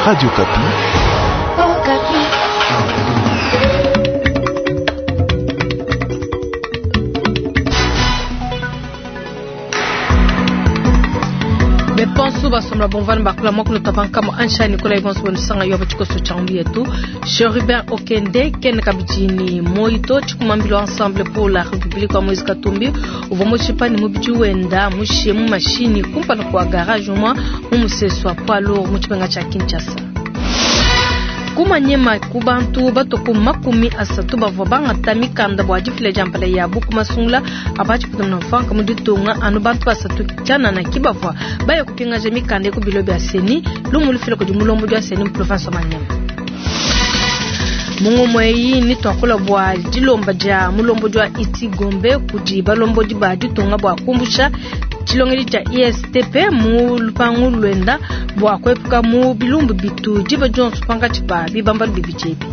Radio Okapi. Okapi. Beponsu basomla bomvani bakula mwakulu tabankamo ansha Nicolas Ibonso bonusanga yo bachikoso chambu yetu Cherubin Okende Ken Kabijini Moito chikumambilo ensemble pour la République wa Moise Katumbi uvua mushipa ni mubiji wenda mushe mu mashini kumpala kwa garage mwa mu museso wa poids lourd mu tshipenga tsha Kinshasa. Kumanyema ku bantu batoko 30 bavua bangata mikanda bua difila dia mpala yabu ku masungula abatshiputa na mfanka mu ditunga anu bantu basatu tshianana ki bavua baya kupingaja mikanda ku bilo bia CENI lumu lufila kudi mulombo dia CENI mu province wa Manyema. Mungu mweyi ni twakula bua dilomba dia mulombo dia iti Gombe kudi balombodi ba ditunga bua kumbusha tshilongeli tshia ISTP mu lupangu lwenda bua kuepuka mu bilumbu bitu diba dionso pankatshi pa bibambalu bibidi ebi.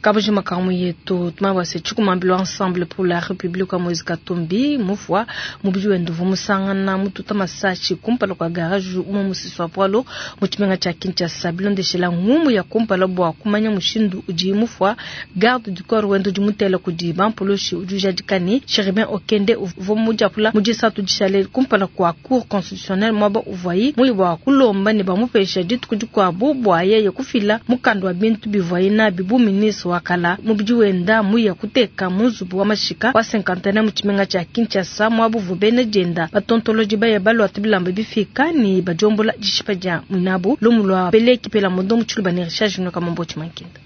Kabujima kamu yetu tumabase tshikumambilo ensemble pour la République wa Moise Katumbi mufwa mubidi wenda uvua musangana mututa masashi kumpala kwa garage umwe musisi wa poalo mu tshimenga tshia Kinshasa bilondeshela ngumu ya kumpala bua kumanya mushindu udi mufwa garde du corps wenda udi mutela kudi bampulushi udi ujadika ne Cherubin Okende uvua mudiapula mu disatu dishale kumpala kwa cour constitutionnelle mwaba uvuayi muyi bua kulomba ne bamupesha dituku dikuabu bua yeye kufila mukanda wa bintu bivuaye nabi bu ministre wa kala mubidi wenda muya kuteka mu nzubu wa mashika wa cinquantenaire mu tshimenga tshia Kinshasa mwabuvu bena dienda batontoloji baya balwata bilamba bifika ni badiombola dishipa dia mwinabu lumu lwa peleki pela mondo mu tshiluba ne Richard Junior Kamombo Tshimankinda.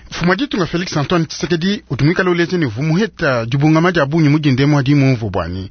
Mfumu wa ditunga Felix Antoine Tshisekedi udi muikale uleja ne vumuheta dibungama dia bungi mu dindemu adi mumvu buani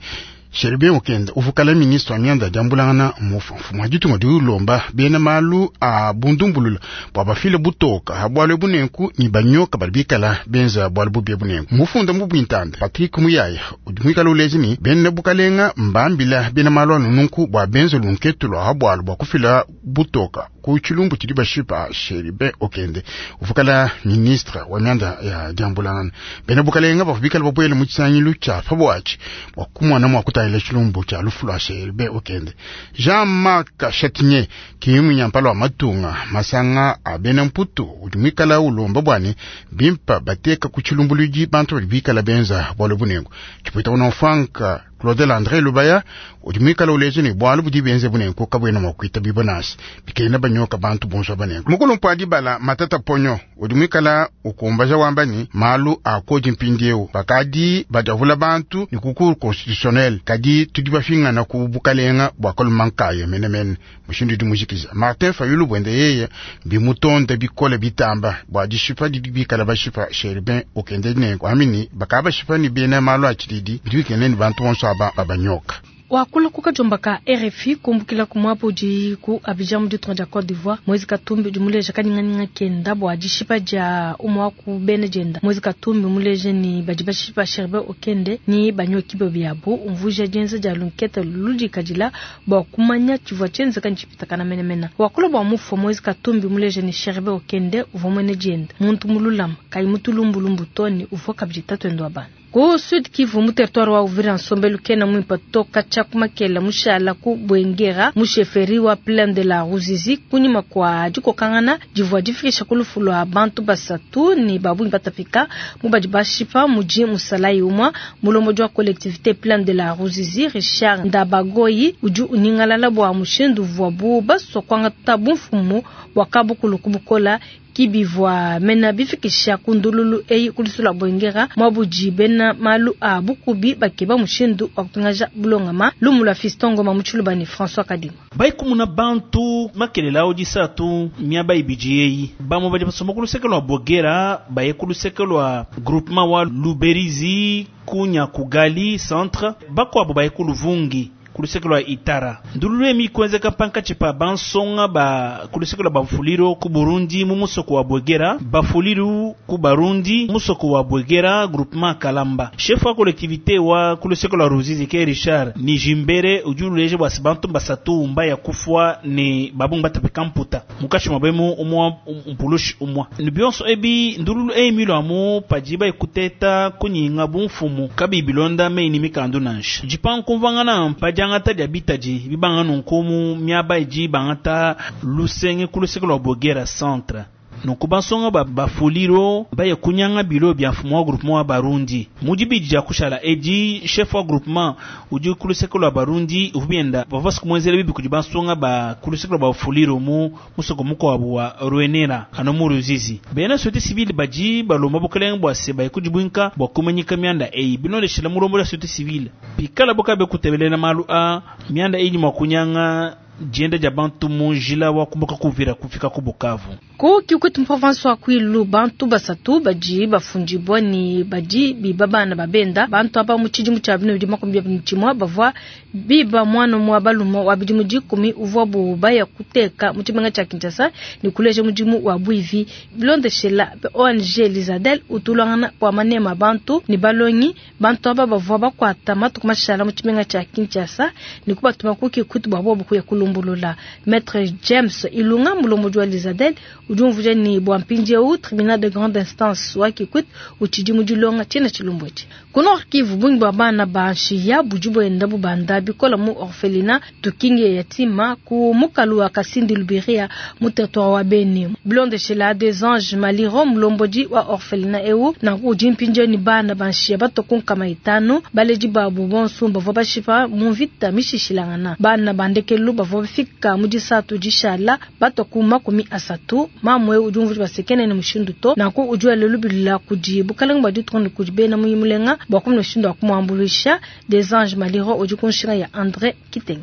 Cherubin Okende uvukala ministre wa mianda diambulangana mufu. Mfumu wa ditunga udi ulomba bena malu a bundumbulula bua bafile butoka ha bualu ebu nenku ni banyoka badi bikala benza bualu bubi ebu nenku. Mufunda mu bwintanda Patrick Muyaya udi muikale uleja ne bena bukalenga mbambila bena malu anu nunku bua benza lunketu lua ha bualu bua kufila butoka ku tshilumbu tshidi bashipa Cherubin Okende uvukala ministre wa mianda ya diambulangana. Bena bukalenga bavua bikala babuele mu tshisangilu tshia pa buatshi bua kumona mua kutangila tshilumbu tshia lufu lua Cherubin Okende. Jean-Marc Châtinier ki munyampala wa matunga masanga a bena mputu udi muikala ulomba buani bimpa bateka ku tshilumbuluidi bantu badi bikala benza bualu bunengu. Tshipwita una Frank Claudel André Lubaya udi muikala uleja ne bualu budi benze bunengu kabuena mua kuita bibonasi bikena banyoka bantu bonso banengu. Mukulumpu adibala Matata Ponyo udi muikala ukumbaja wamba ni malu a kodi mpindieu bakadi badiavula bantu ni ku cour constitutionnelle kadi tudi bafingana ku bukalenga bua kalumankaya menemene mushindu udi mujikiza Martin Fayulu bwende yeye bimutonde bikole bitamba bua dishipa didi bikala bashipa Cherubin Okende nenku amini bakaba bashipa ni bena malu a tshididi bidi bikene ni bantu bonso aba babanyoka. Wakula kukajomba ka RFI kumbukila kumwapo udi ku Abidjan mu ditunga dia Côte d'Ivoire. Moise Katumbi udi muleja kanyinganyinga kenda bua dishipa dia umwe wa ku bena dienda. Moise Katumbi muleja ni badi bashipa Cherubin Okende ni banyoki biabu umvuja dienza dia lunketa ludikadila bua kumanya tshivua tshienzeka ni tshipitakana menemene. Wakula bua mufua Moise Katumbi muleja ni Cherubin Okende uvua muena dienda muntu mululama kayi mutulumbulumbu to ni uvua kabidi tatuende wa bana. Ku Sud Kivu mu territoire wa Uvira nsombelu kena mwimpa toka tshiakumakela mushala ku Bwengera mu chefferie wa Plaine de la Ruzizi kunyima kwa dikokangana divua difikisha ku lufu lua bantu basatu ni babungi batapika mu badi bashipa mudi musalayi umwa mulombodi wa collectivité Plaine de la Ruzizi Richard Ndabagoyi udi unyingalala bua mushindu uvuabu basua kuangata bumfumu bua kabukulu kubukola kibivua mena bifikisha kundululu eyi kulusula Bwengera mwabudi bena malu a bukubi bakeba mushindu wa kupingaja bulongama lumu lwa Fiston Ngoma mu tshiluba ne François Kadima. Baikumuna bantu makelela awo disatu miaba ibidi eyi bamwe badi basomba ku luseke lua Bwegera baye ku luseke lua groupement wa Luberizi kunya kugali centre bakuabo baye ku Luvungi ku luseke lua Itara. Ndululu emi kuenzeka pankatshi pa bansonga ba ku luseke lua Bafuliro ku Burundi mu musoko wa Bwegera, Bafuliru ku Barundi musoko wa Bwegera groupement Kalamba. Chef wa collectivité wa ku luseke lua Ruzizi ke Richard Nijimbere udi uleja bua se bantu basatu mba ya kufua ne babungi batapika mputa mukashi mwabemu umwa mpulushi umwa ni bionso ebi ndululu emi lwamu padi baikuteta kunyinga bumfumu kabi bilonda meini mikandu nansha jipankumvangana padi Diangata dia bitadi bibanga nunku mu miaba idi bangata lusenge ku luseke lua Bogera centre. Nunku bansonga ba Bafuliro baye kunyanga bilo bia mfumu wa groupement wa Barundi. Mu dibidi dia kushala edi, chef wa groupement udi ku luseke lua Barundi uvua bienda bavua basue kumuenzela bibi kudi bansonga ba ku luseke lua Bafuliro mu musoko mukuabu wa Ruenera anu mu Ruzizi. Bena société civile badi balomba bukalenge bua se baye kudibuinka bua kumanyika mianda eyi bilondeshela mulombodi wa société civile. Pikala bo kabe kutebelela malu a mianda eyi mua kunyanga dienda dia bantu mu njila wa kumbuka ku Uvira kufika ku Bukavu. Ku Kikwit mu province wa Kwilu, bantu basatu badi bafundibua ne badi biba bana ba benda. Bantu aba mu tshidimu tshia 2021 bavua biba muana wa balume wa bidimu 10 uvuabu baya kuteka mu tshimenga tshia Kinshasa ne kuleja mudimu wa buivi. Bilondeshela ONG Lizadel utulangana bua manema bantu ne balongi. Bantu aba bavua bakuata matuku mashala mu tshimenga tshia Kinshasa ne kubatuma ku Kikwit bua bobu kuya kulumbulula. Maître James Ilunga mulombodi wa Lizadel udi umvuija ne bua mpindieu tribunal de grande instance wa Kikwit utshidi mu dilonga tshiena tshilumbu etshi. Ku Nord Kivu, bungi bua bana ba nshiya budi buenda bubanda bikola mu orphelinat Tukinge Yatima ku mukalu wa Kasindi Lubiria mu territoire wa Beni. Bilondeshela des anges Maliro mulombodi wa orphelinat eu nanku udi mpindieu ne bana ba nshiya batua ku nkama itanu baledi babu bonso bavua bashipa mu mvita mishishilangana. Bana ba ndekelu bavua bafika mu disatu dishala batua ku 30. Mamwe udi umvuija basekene ne mushindu to nanku udi wela lubila kudi bukalenge bua ditunga ne kudi bena muyimulenga bua kumona mushindu wa kumuambuluisha. Des anges Maliro udi ku nshinga ya André Kitenge.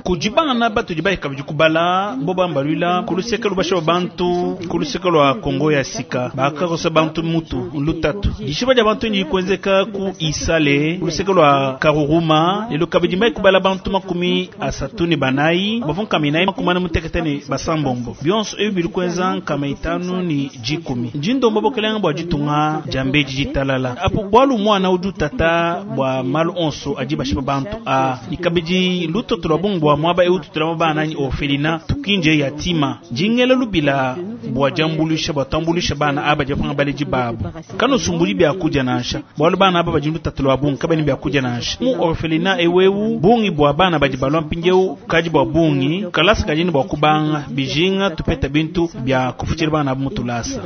Kudi bana batudi bayika bidi kubala bo bambaluila ku luseke lubasha bantu ku luseke lua Kongo ya sika bakakosa bantu mutu lutatu dishiba dia bantu ndi kuenzeka ku Isale ku luseke lua Karuruma lelo kabidi mbai kubala bantu 34 bavua nkaminai 46 ne basambombo bionso ebi bidi kuenza nkama itanu ni jikumi njindomba bokelenga bua ditunga dia mbeji ditalala apo bwalu mwana udi utata bua malu onso adi bashipa bantu a ikabidi lutoto lwa bungu bua mwaba eu tutulama bana ni orphelina tukinje yatima jingela lubila bua jambulisha bua tambulisha bana aba japanga baleji babu kano sumbuli bya kuja nansha bwalu bana aba badi lutatu lwa bungu kabani bya kuja nansha mu orphelina ewewu bungi bua bana badi balwa mpinjeu kaji bua bungi kalasa kajini bua kubanga bijinga tupeta bintu bya kufuchira bana mutulasa.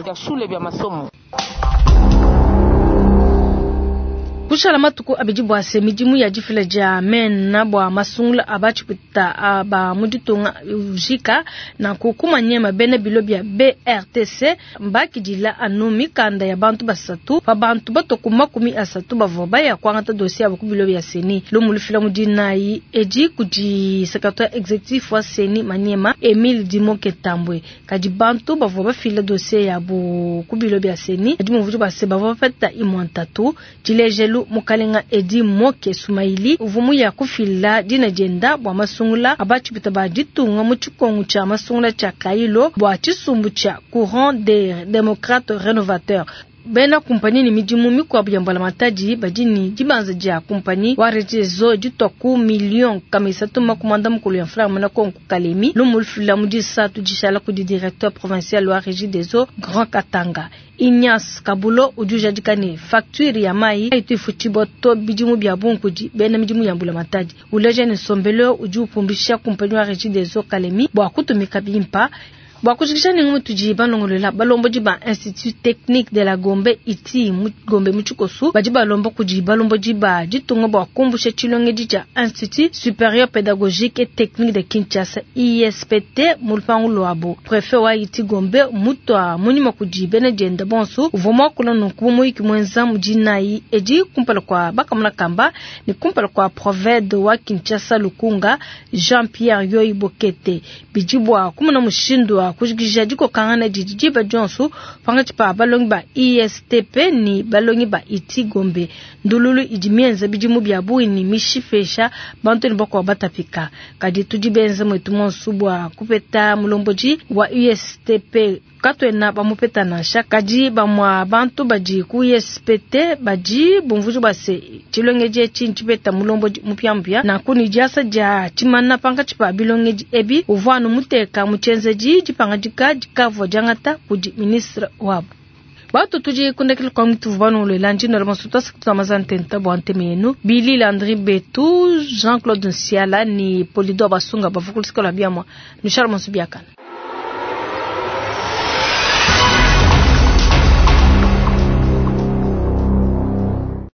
Kushala matuku abidi bua se midimu ya difila dia mena bua masungula abatshipita aba mu ditunga ujika na kukumanyema bena bilo bya BRTC mbakidila anu mikanda ya bantu basatu pa bantu batoku 30 bavua baya kuangata dossier abo ku bilo bya CENI. Lumu lufila mu dinayi edi kudi secrétaire exécutif wa CENI Maniema Emile Dimoke Tambwe. Kadi bantu bavua bafila dossier yabo ku bilo bya CENI adi mumvuji bua se bavua bapeta imwantatu tshilejelu mukalenga Edi Moke Sumaili uvumu ya kufila dina dienda bua masungula abatshipita ba ditunga mu tshikongu tshia masungula tshia Kailo bua tshisumbu tshia Courant des Démocrates Rénovateurs. Bena kumpani ni midimu mikuabu ya mbulamatadi badi ni dibanza dia kumpani wa Regideso ditwa ku million kama isatu makumanda mukulu ya mfranga muna konku Kalemi lumu lufila mu disatu dishala kudi directeur provincial wa Regideso Grand Katanga Ignace Kabulo udi ujadika ne facture ya mai itu ifutshibua to bidimu bia bungi kudi bena midimu ya mbulamatadi. Uleja ne nsombelo udi upumbisha kumpani wa Regideso Kalemi bua kutumika bimpa. Bua kujikisha ni ngumu tudi balongolola balombodi ba Institut Technique de la Gombe iti mu Gombe mu Tshikosu badi balomba kudi balombodi ba ditunga bua kumbusha tshilongedi tshia Institut Supérieur Pédagogique et Technique de Kinshasa ISPT mu lupangu luabo. Prefet wa iti Gombe mutwa munyima kudi bena dienda bonso uvua muakula nunku muyiki muenza mu dinayi edi kumpala kua bakamuna kamba ne kumpala kua Proved wa Kinshasa Lukunga Jean-Pierre Yoyi Bokete bidi bua kumona mushindu wa kujikija dikokangana didi diba dionso pangatshi pa balongi ba ISTP ni balongi ba iti Gombe. Ndululu idi mienza bidimu bia bungi ni mishipesha bantu ne bakuabu batapika. Kadi tudi benza mwetu monso bua kupeta mulombodi wa ISTP katwena bamupeta nansha. Kadi bamwa bantu badi ku ISPT badi bumvuji bua se tshilongedi etshi ntshipeta mulombodi mupiamupia nanku ni diasa dia tshimana pankatshi pa bilongedi ebi uvua anu muteka mu tshienzedi dipangadika dikavua diangata kudi ministre wabu. Batu tudi kundekela kwa mtu vubano lwela njino la masuta sikutu mazantenta bwa nteme yenu. Billy Landry Betu, Jean-Claude Nsiala ni Polido Basunga bavukulisikola biamwa. Michel Monsubiakana.